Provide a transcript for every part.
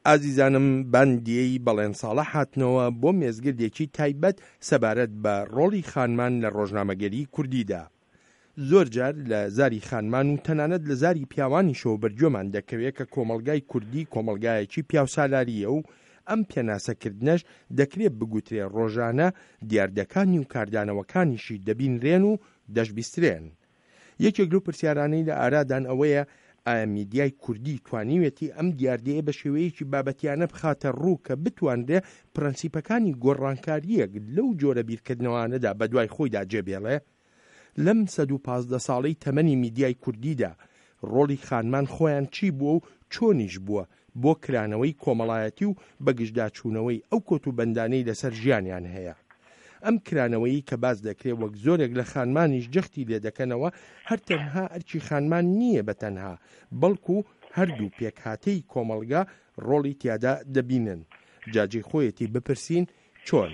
ئازیزانم باندیەی بەڵێن ساڵح هاتنەوە بۆ مێزگردێکی تایبەت سەبارەت بە ڕۆڵی خانمان لە ڕۆژنامەگەری کوردیدا. زۆر جار لە زاری خانمان و تەنانەت لە زاری پیاوانیشەوە بەرگوێمان دەکەوێ کە کۆمەڵگای کوردی کۆمەڵگایەکی پیاوسالارییە و ئەم پێناسەکردنەش دەکرێ بگوترێ ڕۆژانە دیاردەکانی و کاردانەوەکانیشی دەبینرێن و دەشبیسترێن. یەکێک لەو پرسیارانەی لە ئارادان ئەوەیە ئایا میدیای کوردی توانیوێتی ئەم دیاردەیە بە شێوەیەکی بابەتیانە بخاتە ڕوو کە بتوانرێ پرەنسیپەکانی گۆڕانکارییەک لەو جۆرە بیرکردنەوانەدا بەدوای خۆیدا جێبێڵێ؟ لەم 115 ساڵەی تەمەنی میدیای کوردیدا ڕۆڵی خانمان خۆیان چی بووە و چۆنیش بووە بۆ کرانەوەی کۆمەڵایەتی و بەگژداچوونەوەی ئەو کۆتوبەندانەی لەسەر ژیانیان هەیە؟ ئەم کرانەوەیی کە باس دەکرێ وەک زۆرێک لە خانمانیش جەختی لێ دەکەنەوە هەر تەنها ئەرکی خانمان نییە بە تەنها بەڵکو هەردوو پێکهاتەی کۆمەڵگا ڕۆڵی تیادا دەبینن جا جێی خۆیەتی بپرسین چۆن؟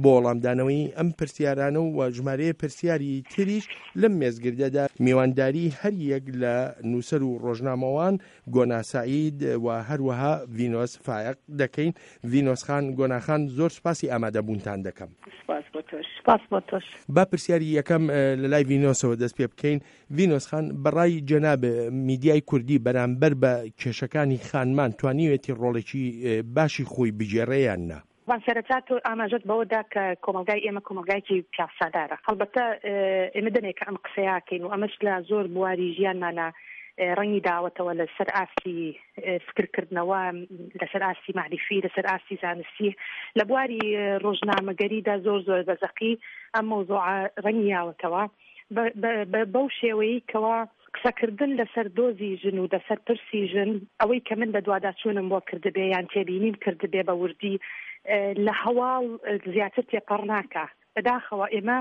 بۆ وەڵامدانەوەی ئەم پرسیارانە و ژمارەیە پرسیاری تریش لەم مێزگردەدا میوانداری هەر یەک لە نووسەر و ڕۆژنامەوان گۆنا سەعید و هەروەها ڤینۆس فایەق دەکەین. ڤینۆس خان، گۆنا خان زۆر سوپاسی ئامادەبوونتان دەکەم. سوپاس بۆ تۆش. سوپاس بۆ تۆش. با پرسیاری یەکەم لە لای ڤینۆسەوە دەست پێ بکەین. ڤینۆس خان، بە ڕای جەنابت میدیای کوردی بەرامبەر بە کێشەکانی خانمان توانیوێتی ڕۆڵێکی باشی خۆی بگێڕێ یان نا؟ بەڵام سەرەتا تۆ ئاماژەت بەوە دا کە کۆمەڵگای ئێمە کۆمەڵگایەکی پیاوسالارە. هەڵبەتە ئێمە دەمێکە ئەم قسەیە ئەکەین و ئەمەش لە زۆر بواری ژیانمانا ڕەنگی داوەتەوە لەسەر ئاستی فکرکردنەوە، لەسەر ئاستی مەعریفی، لەسەر ئاستی زانستی، لە بواری ڕۆژنامەگەریدا زۆر زۆر بە زەقی ئەم مەوزوعە ڕەنگی یاوەتەوە. بەو شێوەیەی کەوا قسەکردن لەسەر دۆزی ژن و لەسەر پرسی ژن، ئەوەی کە من بەدواداچوونم بۆ کردبێ یان تێبینیم کردبێ بە وردی لە هەواڵ زیاتر تێپەڕ ناکا. بەداخەوە ئێمە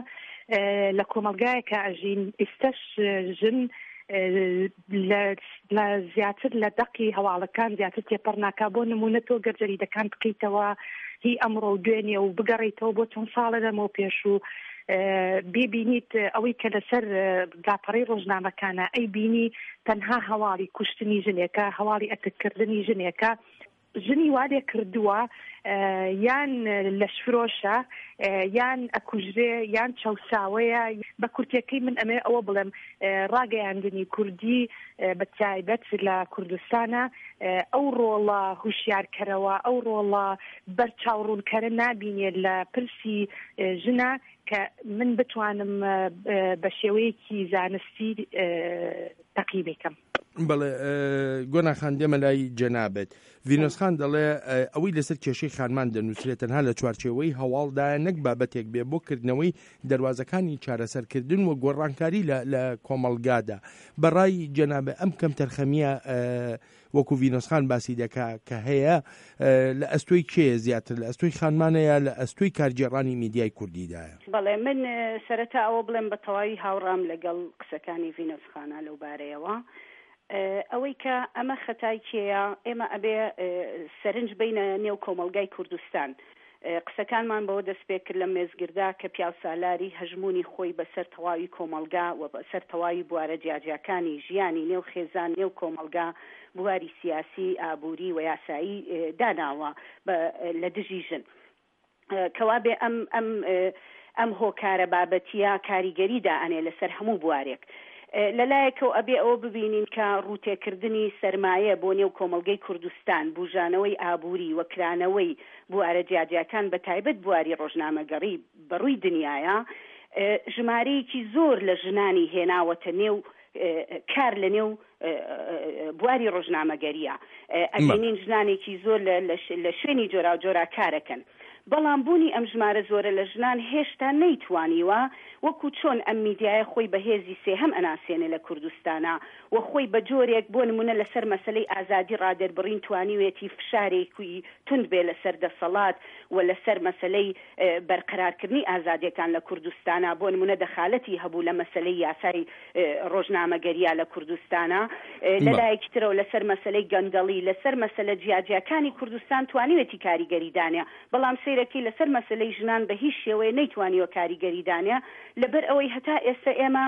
لە کۆمەڵگایەکا ئەژین ئیستەش ژن لە زیاتر لە دەقی هەواڵەکان زیاتر تێپەڕ ناکا. بۆ نموونە تۆ گەر جەریدەکان بکەیتەوە هی ئەمڕۆ و دوێنێ و بگەڕێیتەوە بۆ چەند ساڵە لەمەو پێش و بیبینیت ئەوەی کە لەسەر لاپەڕەی ڕۆژنامەکانە ئەیبینی تەنها هەواڵی کوشتنی ژنێکە، هەواڵی ئەتککردنی ژنێکە، ژنی وا لێ کردووە یان لەشفرۆشە یان ئەکوژرێ یان چەوساوەیە، بە کورتیەکەی من ئەمەوێ ئەوە بڵێم ڕاگەیاندنی کوردی بە تایبەت لە کوردستانە ئەو ڕۆڵە هوشیارکەرەوە ئەو ڕۆڵە بەرچاوڕوونکەرە نابینێ لە پرسی ژنە کە من بتوانم بە شێوەیەکی زانستی تەقیمی کەم. بەڵێ گۆنا خان دێمە لای جەنابت. ڤینۆس خان دەڵێ ئەوەی لەسەر کێشەی خانمان دەنووسرێت تەنها لە چوارچێوەی هەواڵدایە نەک بابەتێک بێ بۆ کردنەوەی دەروازەکانی چارەسەرکردن و گۆڕانکاری لە کۆمەڵگادا. بەڕای جەنابت ئەم کەمتەرخەمییە وەکو ڤینۆس خان باسی دەکا کە هەیە لە ئەستۆی کێیە زیاتر لە ئەستۆی خانمانە یا لە ئەستۆی کارگێڕانی میدیای کوردیدایە؟ بەڵێ من سەرەتا ئەوە بڵێم بە تەواوی هاوڕام لەگەڵ قسەکانی ڤینۆس خانا لەو بارەیەوە ئەوەی کە ئەمە خەتای کێیە ئێمە ئەبێ سەرنج بەینە نێو کۆمەڵگای کوردستان قسەکانمان بەوە دەستپێکرد لەم مێزگردە کە پیاوسالاری هەژموونی خۆی بەسەر تەواوی کۆمەڵگا و بەسەر تەواوی بوارە جیاجیاکانی ژیانی نێو خێزان، نێو کۆمەڵگا، بواری سیاسی، ئابووری و یاسایی داناوە بە لە دژی ژن. کەوابێ ئەم ئەم ئەم هۆکارە بابەتییە کاریگەری دائەنێ لەسەر هەموو بوارێک. لە لایەکەوە ئەبێ ئەوە ببینین کە ڕووتێکردنی سەرمایە بۆ نێو کۆمەڵگەی کوردستان، بووژانەوەی ئابووری و کرانەوەی بوارە جیاجیاکان بە تایبەت بواری ڕۆژنامەگەڕی بە ڕووی دنیایا ژمارەیەکی زۆر لە ژنانی هێناوەتە نێو کار لە نێو بواری ڕۆژنامەگەریە ئەبینین ژنانێکی زۆر لە شوێنی جۆراوجۆرا کارەکەن بەڵام بوونی ئەم ژمارە زۆرە لە ژنان هێشتا نەیتوانیوە وەکو چۆن ئەم میدیایە خۆی بە هێزی سێهەم ئەناسێنێ لە کوردستانا و خۆی بە جۆرێک بۆ نمونە لەسەر مەسەلەی ئازادی ڕادەربڕین توانیوێتی فشارێکی توند بێ لەسەر دەسەڵات و لەسەر مەسەلەی بەرقەرارکردنی ئازادیەکان لە کوردستانا بۆ نمونە دەخالەتی هەبوو لە مەسەلەی یاسای ڕۆژنامەگەریا لە کوردستانا لە لایەکی ترەوە لەسەر مەسەلەی گەندەڵی لەسەر مەسەلە جیاجیاکانی کوردستان توانیوێتی کاریگەری دانێ بەڵام سەیرەکەی لەسەر مەسەلەی ژنان بە هیچ شێوەیە نەیتوانیوە کاریگەری دانێ لەبەر ئەوەی هەتا ئێستا ئێمە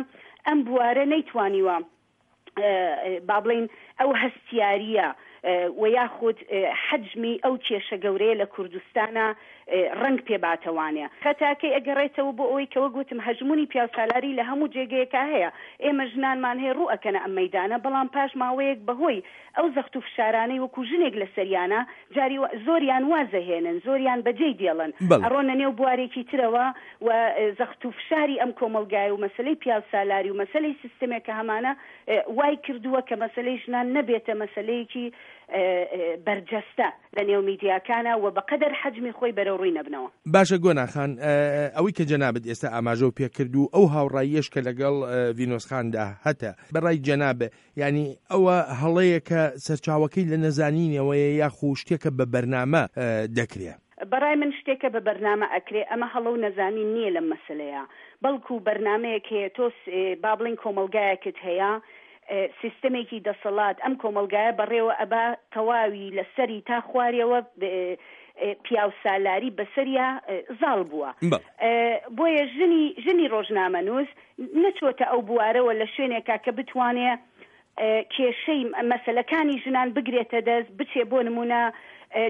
ئەم بوارە نەیتوانیوە با بڵێین ئەو هەستیارییە. و یاخود حەجمی ئەو کێشە گەورەیە لە کوردستانا ڕەنگ پێ باتەوانێ. خەتاکەی ئەگەڕێتەوە بۆ ئەوەی کە وەک وتم هەژموونی پیاوسالاری لە هەموو جێگەیەکا هەیە. ئێمە ژنانمان هەیە ڕوو ئەکەنە ئەم مەیدانە بەڵام پاش ماوەیەک بە هۆی ئەو زەخت و فشارانەی وەکوو ژنێک لە سەریانە جاری وا زۆریان واز ئەهێنن زۆریان بەجێی دێڵن ئەڕۆنە نێو بوارێکی ترەوە و زەخت و فشاری ئەم کۆمەڵگایە و مەسەلەی پیاوسالاری و مەسەلەی سیستمێک کە هەمانە وای کردووە کە مەسەلەی ژنان نەبێتە مەسەلەیەکی بەرجەستە لە نێو میدیاکانا و بە قەدەر حەجمی خۆی بەرەوڕووی نەبنەوە. باشە گۆنا خان، ئەوەی کە جەنابت ئێستا ئاماژەو پێ کرد و ئەو هاوڕاییەش کە لەگەڵ ڤینۆس خاندا هەتە، بە ڕای جەناب یانی ئەوە هەڵەیەکە سەرچاوەکەی لە نەزانینەوەیە یاخو شتێکە بە بەرنامە دەکرێ؟ بەڕای من شتێکە بە بەرنامە ئەکرێ، ئەمە هەڵە و نەزانین نییە لەم مەسەلەیە، بەڵکو بەرنامەیەک هەیە، تۆ با بڵێین کۆمەڵگایەکت هەیە، سیستەمێکی دەسەڵات ئەم کۆمەڵگایە بەڕێوە ئەبا، تەواوی لە سەری تا خوارێوە پیاوسالاری بەسەریا زاڵ بووە، بۆیە ژنی ژنی ڕۆژنامەنووس نەچۆتە ئەو بوارەوە لە شوێنێکا کە بتوانێ کێشەی مەسەلەکانی ژنان بگرێتە دەست، بچێ بۆ نموونە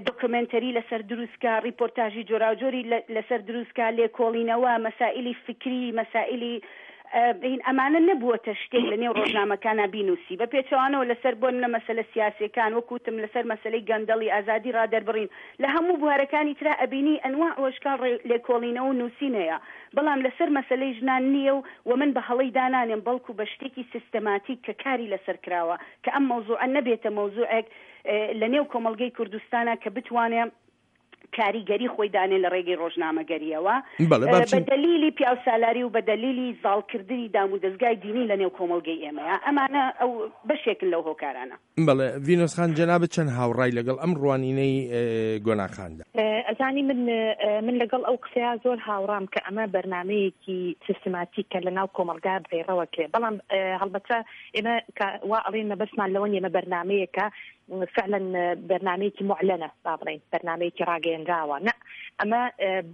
دۆکۆمێنتەری لەسەر دروست کا، ڕیپۆرتاژی جۆراوجۆری لەسەر دروست کا، لێکۆڵینەوە، مەسائیلی فیکری، مەسائیلی هین ئەمانە نەبووەتە شتێک لە نێو ڕۆژنامەکانا بینووسی. بە پێچەوانەوە لەسەر بۆ نموونە مەسەلە سیاسییەکان، وەک وتم لەسەر مەسەلەی گەندەڵی، ئازادی ڕادەربڕین، لە هەموو بوارەکانی ترا ئەبینی ئەنواع و ئەشکال لێکۆڵینەوە و نووسین هەیە. بەڵام لەسەر مەسەلەی ژنان نییە و وە من بە هەڵەی دانانێم بەڵکو بە شتێکی سیستەماتیک کە کاری لەسەر کراوە کە ئەم مەوزوعە نەبێتە مەوزوعێک لە نێو کۆمەڵگەی کوردستانا کە بتوانێ کاریگەری خۆی دانێ لە ڕێگەی ڕۆژنامەگەرییەوە بەڵێ با بە بچین. دەلیلی پیاوسالاری و بە دەلیلی زاڵکردنی دامودەزگای دینی لە نێو کۆمەڵگەی ئێمەیا ئەمانە ئەو بەشێکن لەو هۆکارانە. بەڵێ ڤینۆس خان جەنابت چەند هاوڕای لەگەڵ ئەم ڕوانینەی گۆنا خاندا؟ ئەزانی من من لەگەڵ ئەو قسەیە زۆر هاوڕام کە ئەمە بەرنامەیەکی سیستماتیکە لە ناو کۆمەڵگا پەیڕەوە کرێ بەڵام هەڵبەتە ئێمە کە وا ئەڵێن مەبەستمان لەوە نیە ئەمە بەرنامەیەکە فعلا بەرنامەیەکی معلەنە با بڵێین بەرنامەیەکی ڕاگەیەنراوە نە ئەمە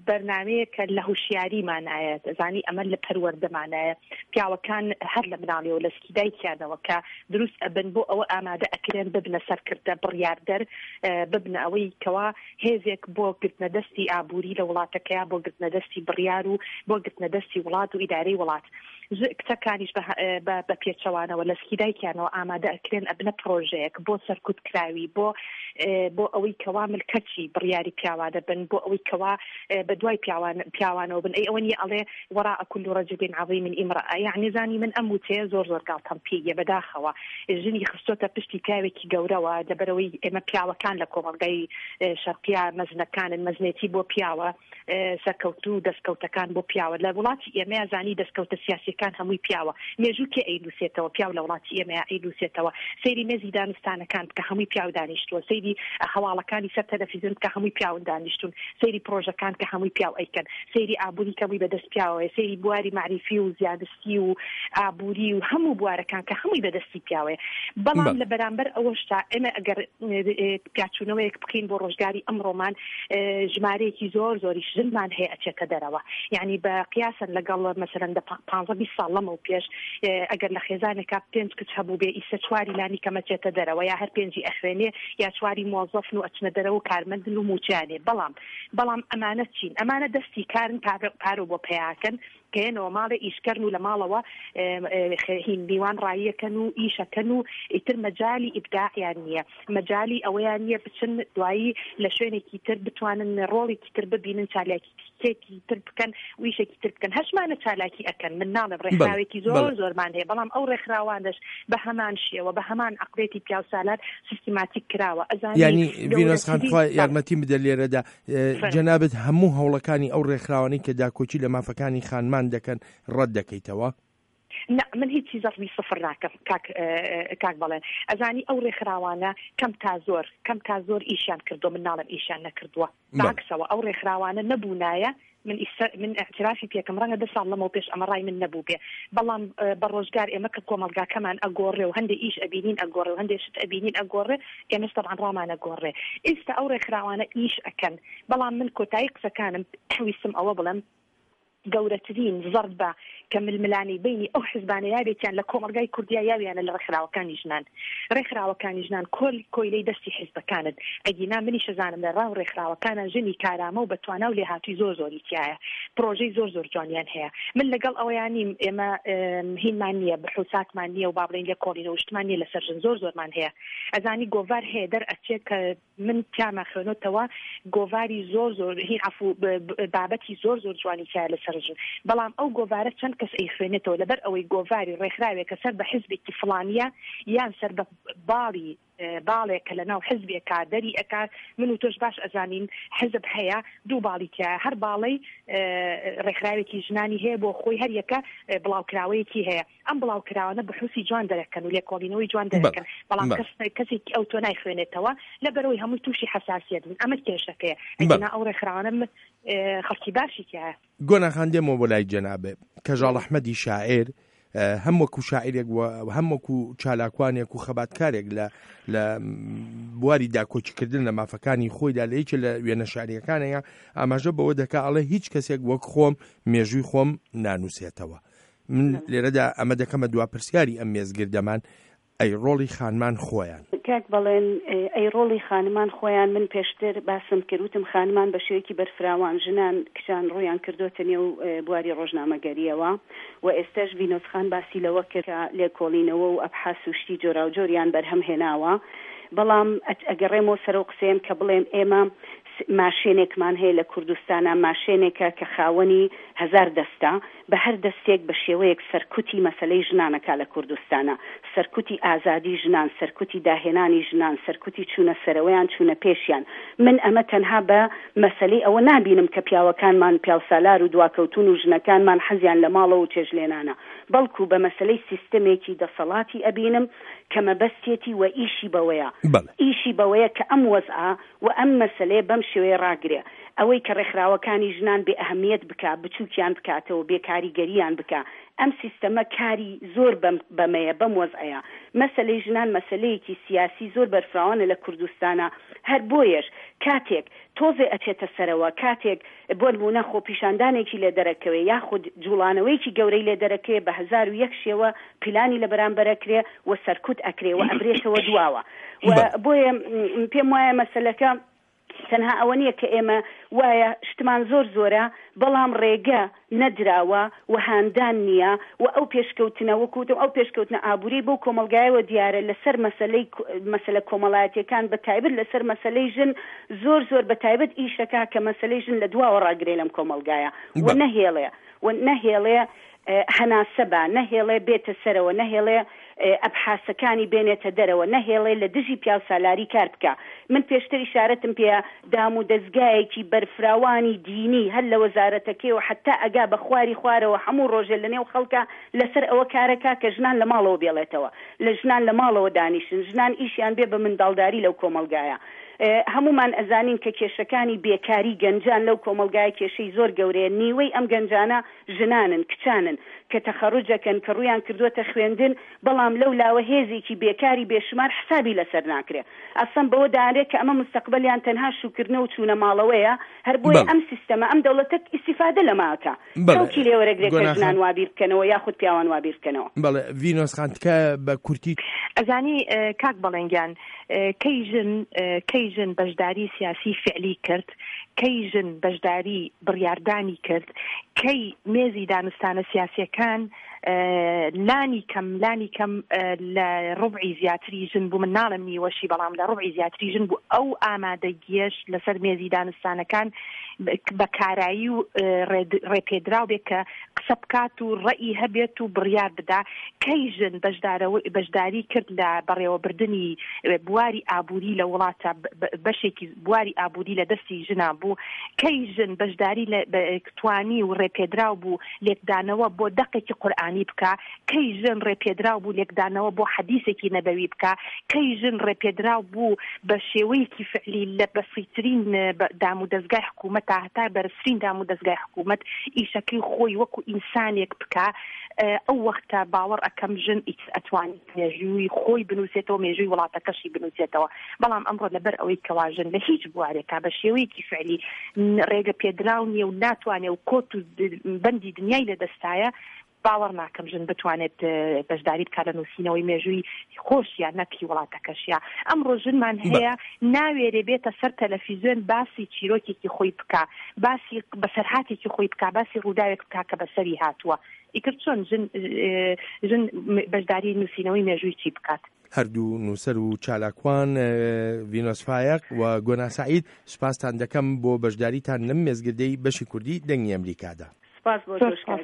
بەرنامەیەکە لە هوشیاریمانایە زانی ئەمە لە پەروەردەمانایە پیاوەکان هەر لە مناڵیەوە لە سکی دایکیانەوە کە دروست ئەبن بۆ ئەوە ئامادە ئەکرێن ببنە سەرکردە بڕیاردەر ببنە ئەوەی کەوا هێزێک بۆ گرتنە دەستی ئابووری لە وڵاتەکەیا بۆ گرتنە دەستی بڕیار و بۆ گرتنە دەستی وڵات و ئیدارەی وڵات کچەکانیش بە پێچەوانەوە لە سکی دایکیانەوە ئامادە ئەکرێن ئەبنە پرۆژەیەک بۆ سەرکوت کراوی بۆ بۆ ئەوەی کەوا ملکەچی بڕیاری پیاوانە بن بۆ ئەوەی کەوا بە دوای پیاوان پیاوانەوە بن ئەی ئەوە نیە ئەڵێ وراء كل رجل عظیم امرأة یعنی زانی من ئەم وتەیە زۆر زۆر گاڵتەم پێیە بەداخەوە ژنی خستۆتە پشتی پیاوێکی گەورەوە لەبەرەوەی ئێمە پیاوەکان لە کۆمەڵگای شەرقیا مەزنەکانن مەزنێتی بۆ پیاوە سەرکەوتن و دەستکەوتەکان بۆ پیاوە لە وڵاتی ئێمەیا زانی دەستکەوتە سیاسیەکان هەمووی پیاوە مێژوو کێ ئەینوسێتەوە پیاو لە وڵاتی ئێمەیا ئەینوسێتەوە سەیری مێزی دانوستانەکان بکە هەمووی پیاو دانیشتووە سەیری هەواڵەکانی سەر تەلەفیزیۆن بکە هەمووی پیاون دانیشتون سەیری پرۆژەکان کە هەمووی پیاو ئەیکەن سەیری ئابووری کە هەمووی بەدەست پیاوەیە سەیری بواری مەعریفی و زیانستی و ئابووری و هەموو بوارەکان کە هەمووی بەدەستی پیاوەیە بەڵام لە بەرامبەر ئەوەشتا ئێمە ئەگەر پیاچوونەوەیەک بکەین بۆ ڕۆژگاری ئەمڕۆمان ژمارەیەکی زۆر زۆریش ژنمان هەیە ئەچێتە دەرەوە یعنی بە قیاسەن لەگەڵ مەسەلەن دە پانزە 20 ساڵ لەمەو پێش ئەگەر لە خێزانێکا پێنج کچ هەبوو بێ ئیسە چواری لانی کەم ئەچێتە دەرەوە یا هەر پێنجی ئەخوێنێ یا چواری مۆزەفن و ئەچنە دەرەوە و کارمەندن و مووچەیان هەیە بەڵام بەڵام ئەمانە چین ئەمانە دەستی کارن پارە بۆ پەیاکەن کەیەنەوە ماڵێ ئیشکەرن و لە ماڵەوە هین میوان ڕاییەکەن و ئیشەکەن و ئیتر مەجالی ئیبداعیان نییە مەجالی ئەوەیان نییە بچن دوایی لە شوێنێکی تر بتوانن ڕۆڵێکی تر ببینن چالاکیێکی تر بکەن و ئیشێکی تر بکەن هەشمانە چالاکی ئەکەن من ناڵێم ڕێکخراوێکی زۆر زۆرمان هەیە بەڵام ئەو ڕێکخراوانەش بە هەمان شێوە بە هەمان عەقڵیەتی پیاوسالار سیستماتیک کراوە ئەزانی یانی ڤینۆس خان گەورەترین خوا یارمەتیم بدە لێرەدا جەنابت هەموو هەوڵەکانی ئەو ڕێکخراوانەی کە داکۆکی لە مافەکانی خانمان دەکەن ڕەت دەکەیتەوە؟ نا من هیچی زەڕبی سفر ناکەم کاک کاک بەڵێن ئەزانی ئەو ڕێکخراوانە کەم تا زۆر کەم تا زۆر ئیشیان کردووە من ناڵێم ئیشیان نەکردووە بەعکسەوە ئەو ڕێکخراوانە نەبوونایە من ئیستا من ئیعترافی پێکەم ڕەنگە دە ساڵ لەمەو پێش ئەمە ڕای من نەبووبێ بەڵام بە ڕۆژگار ئێمە کە کۆمەڵگاکەمان ئەگۆڕێ و هەندێ ئیش ئەبینین ئەگۆڕێ و هەندێ شت ئەبینین ئەگۆڕێ ئێمەش تەبعەن ڕامان ئەگۆڕێ ئیستا ئەو ڕێکخراوانە ئیش ئەکەن بەڵام من کۆتایی قسەکانم ویستم ئەوە بڵێم. گەورەترین زەربە کە ململانێی بەینی ئەو حزبانە یاوێکیان لە کۆمەڵگای کوردیا یاویانە لە ڕێکخراوەکانی ژنان. ڕێکخراوەکانی ژنان کۆل کۆیلەی دەستی حزبەکانن. ئەگینا منیش ئەزانم لە ڕاو ڕێکخراوەکانا ژنی کارامە و بەتوانا و لێهاتووی زۆر زۆری تیایە. پڕۆژەی زۆر زۆر جوانیان هەیە. من لەگەڵ ئەوەیا نیم ئێمە هینمان نییە، بحوساتمان نییە و با بڵێین لێکۆڵینەوە و شتمان نییە لەسەر ژن. زۆر زۆرمان هەیە. ئەزانی گۆڤار هەیە دەرئەچێ کە من تیاما خوێنۆتەوە گۆڤاری زۆر زۆر هین عەفو بابەتی زۆر زۆر جوانی تیایە لەسەر ژن بەڵام ئەو گۆڤارە چەند کەس ئەیخوێنێتەوە لەبەر ئەوەی گۆڤاری ڕێکخراوێکە سەر بە حزبێکی فڵانیە یان سەر بە باڵی باڵێک کە لەناو حزبێکا دەری ئەکا من و تۆش باش ئەزانین حزب هەیە دوو باڵی تیایە هەر باڵەی ڕێکخراوێکی ژنانی هەیە بۆ خۆی هەر یەکە بڵاوکراوەیەکی هەیە ئەم بڵاوکراوانە بحوسی جوان دەرەکەن و لێکۆڵینەوەی جوان دەرەکەن بەڵام کەس کەسێکی ئەو تۆ نایخوێنێتەوە لەبەرەوەی هەمووی تووشی حساسیت بوون ئەمە کێشەکەیە ئەگینا ئەو ڕێکخراوانە خەڵکی باشی تیایە. گۆنا خان دێمەوە بۆ لای جەنابێ کەژاڵ ئەحمەدی شاعیر هەم وەکو شاعیرێک و هەم وەکو چالاکوانێک و خەباتکارێک لە لە بواری داکۆکیکردن لە مافەکانی خۆیدا لە یەکێ لە وێنە شاعریەکانەیە ئاماژە بەوە دەکا ئەڵێ هیچ کەسێک وەک خۆم مێژووی خۆم نانووسێتەوە من لێرەدا ئەمە دەکەمە دوا پرسیاری ئەم مێزگردەمان، ئەی ڕۆڵی خانمان خۆیان؟ کاک بەڵێن، ئەی ڕۆڵی خانمان خۆیان، من پێشتر باسم کرد وتم خانمان بە شێوەیەکی بەرفراوان ژنان کچان ڕوویان کردۆتە نێو بواری ڕۆژنامەگەرییەوە و ئێستەش ڤینۆس خان باسی لەوە کرد کە لێکۆڵینەوە و ئەبحاس و شتی جۆراوجۆریان بەرهەم هێناوە بەڵام ئەگەڕێمەوە سەر ئەو قسەیەم کە بڵێم ئێمە ماشێنێکمان هەیە لە کوردستانا ماشێنێکە کە خاوەنی هەزار دەستە بە هەر دەستێک بە شێوەیەک سەرکوتی مەسەلەی ژنان ئەکا لە کوردستانا، سەرکوتی ئازادی ژنان، سەرکوتی داهێنانی ژنان، سەرکوتی چوونە سەرەوەیان، چوونە پێشیان. من ئەمە تەنها بە مەسەلەی ئەوە نابینم کە پیاوەکانمان پیاوسالار و دواکەوتوون و ژنەکانمان حەزیان لە ماڵەوە و چێژلێنانە، بەڵکو بە مەسەلەی سیستەمێکی دەسەڵاتی ئەبینم کە مەبەستیەتی و ئیشی بەوەیە. ئیشی بەوەیە کە ئەم وەزعە و ئەم مەسەلەیە بەم شێوەیە ڕاگرێ. ئەوەی کە ڕێکخراوەکانی ژنان بێ ئەهەمیەت بکا، بچووکیان بکاتەوە، بێ کاریگەریان بکا. ئەم سیستەمە کاری زۆر بەم بەمەیە، بەم وەزعەیە. مەسەلەی ژنان مەسەلەیەکی سیاسی زۆر بەرفراوانە لە کوردستانا، هەر بۆیەش کاتێک تۆزێ ئەچێتە سەرەوە، کاتێک بۆ نموونە خۆپیشاندانێکی لێ دەرەکەوێ یاخود جوڵانەوەیەکی گەورەی لێ دەرەکەوێ بە 1001 شێوە پیلانی لە بەرامبەر ئەکرێ و سەرکوت ئەکرێ و ئەبرێتەوە دواوە و بۆیە پێم وایە مەسەلەکە تەنها ئەوە نییە کە ئێمە وایە شتمان زۆر زۆرە بەڵام ڕێگە نەدراوە و هاندان نییە و ئەو پێشکەوتنە وەکو وتم ئەو پێشکەوتنە ئابووریەی بەو کۆمەڵگایەوە دیارە لەسەر مەسەلەی مەسەلە کۆمەڵایەتیەکان بە تایبەت لەسەر مەسەلەی ژن زۆر زۆر بە تایبەت ئیشەکا کە مەسەلەی ژن لە دواوە ڕاگرێ لەم کۆمەڵگایە و نەهێڵێ و نەهێڵێ هەناسە با، نەهێڵێ بێتە سەرەوە، نەهێڵێ ئەبحاسەکانی بێنێتە دەرەوە، نەهێڵێ لە دژی پیاوسالاری کار بکا. من پێشتر ئیشارەتم پێ دام و دەزگایەکی بەرفراوانی دینی هەر لە وەزارەتەکەیەوە حەتا ئەگا بە خواری خوارەوە هەموو ڕۆژێ لە نێو خەڵکا لەسەر ئەوە کارەکا کە ژنان لە ماڵەوە بێڵێتەوە، لە ژنان لە ماڵەوە دانیشن، ژنان ئیشیان بێ بە منداڵداری لەو کۆمەڵگایە. هەموومان ئەزانین کە کێشەکانی بێکاری گەنجان لەو کۆمەڵگایە کێشەی زۆر گەورەیە، نیوەی ئەم گەنجانە ژنانن، کچانن کە تەخەروج ئەکەن، کە ڕوویان کردووەتە خوێندن، بەڵام لەو لاوە هێزێکی بێکاری بێشومار حسابی لەسەر ناکرێ. ئەسڵەن بەوە دانرێ کە ئەمە مستەقبەلیان تەنها شووکردنەوە و چوونە ماڵەوەیە، هەر بۆیە ئەم سیستەمە، ئەم دەوڵەتە ئیستیفادە لەمە ئەکا. کەڵکی لێ وەرەگرێ کە ژنان وا بیر بکەنەوە یاخود پیاوان وا بیر بکەنەوە. بەڵێ ڤینۆس خان تکایە بە کورتی. ئەزانی کاک بەڵێن گیان کەی ژن کەی ژن بەشداری سیاسی فعلی کرد کەی ژن بەشداری بڕیاردانی کرد کەی مێزی دانوستانە سیاسیەکان لانی کەم لانی کەم لە ڕوبعی زیاتری ژن بوو من ناڵێم نیوەشی بەڵام لە ڕوبعی زیاتری ژن بوو ئەو ئامادەگیەش لەسەر مێزی دانوستانەکان بە کارایی و ڕێپێدراو بێت کە قسە بکات و ڕەئی هەبێت و بڕیار بدا کەی ژن بەشداری کرد لە بەڕێوەبردنی بواری ئابووری لە وڵاتە بەشێکی بواری ئابووری لە دەستی ژنان بوو کەی ژن بەشداری لە توانی و ڕێپێدراو بوو لێکدانەوە بۆ دەقێکی قورئانی. قورئانی بکا؟ کەی ژن ڕێپێدراو بوو لێکدانەوە بۆ حەدیسێکی نەبەوی بکا؟ کەی ژن ڕێپێدراو بوو بە شێوەیەکی فعلی لە بەسیترین دامودەزگای حکوومەتا هەتا بەرزترین دامودەزگای حکوومەت ئیشەکەی خۆی وەکوو ئینسانێک بکا؟ ئەو وەختە باوەڕ ئەکەم ژن ئیتر ئەتوانێت مێژووی خۆی بنووسێتەوە، مێژووی وڵاتەکەشی بنووسێتەوە. بەڵام ئەمڕۆ لەبەر ئەوەی کەوا ژن لە هیچ بوارێکا بە شێوەیەکی فعلی ڕێگە پێدراو نییە و ناتوانێ و کۆت و بەندی دنیای لە دەستایە، باوەڕ ناکەم ژن بتوانێت بەشداری بکات لە نووسینەوەی مێژووی خۆشیا نەک هی وڵاتەکەشیا. ئەمڕۆ ژنمان هەیە ناوێرێ بێتە سەر تەلەفیزیۆن باسی چیرۆکێکی خۆی بکا، باسی بەسەرهاتێکی خۆی بکا، باسی ڕووداوێک بکا کە بەسەری هاتووە. ئیتر چۆن ژن ژن بەشداری نووسینەوەی مێژووی چی بکات؟ هەردوو نووسەر و چالاکوان ڤینۆس فایەق و گۆنا سەعید سوپاستان دەکەم بۆ بەشداریتان لەم مێزگردەی بەشی کوردی دەنگی ئەمریکادا. سپاس بۆ تۆش کاک.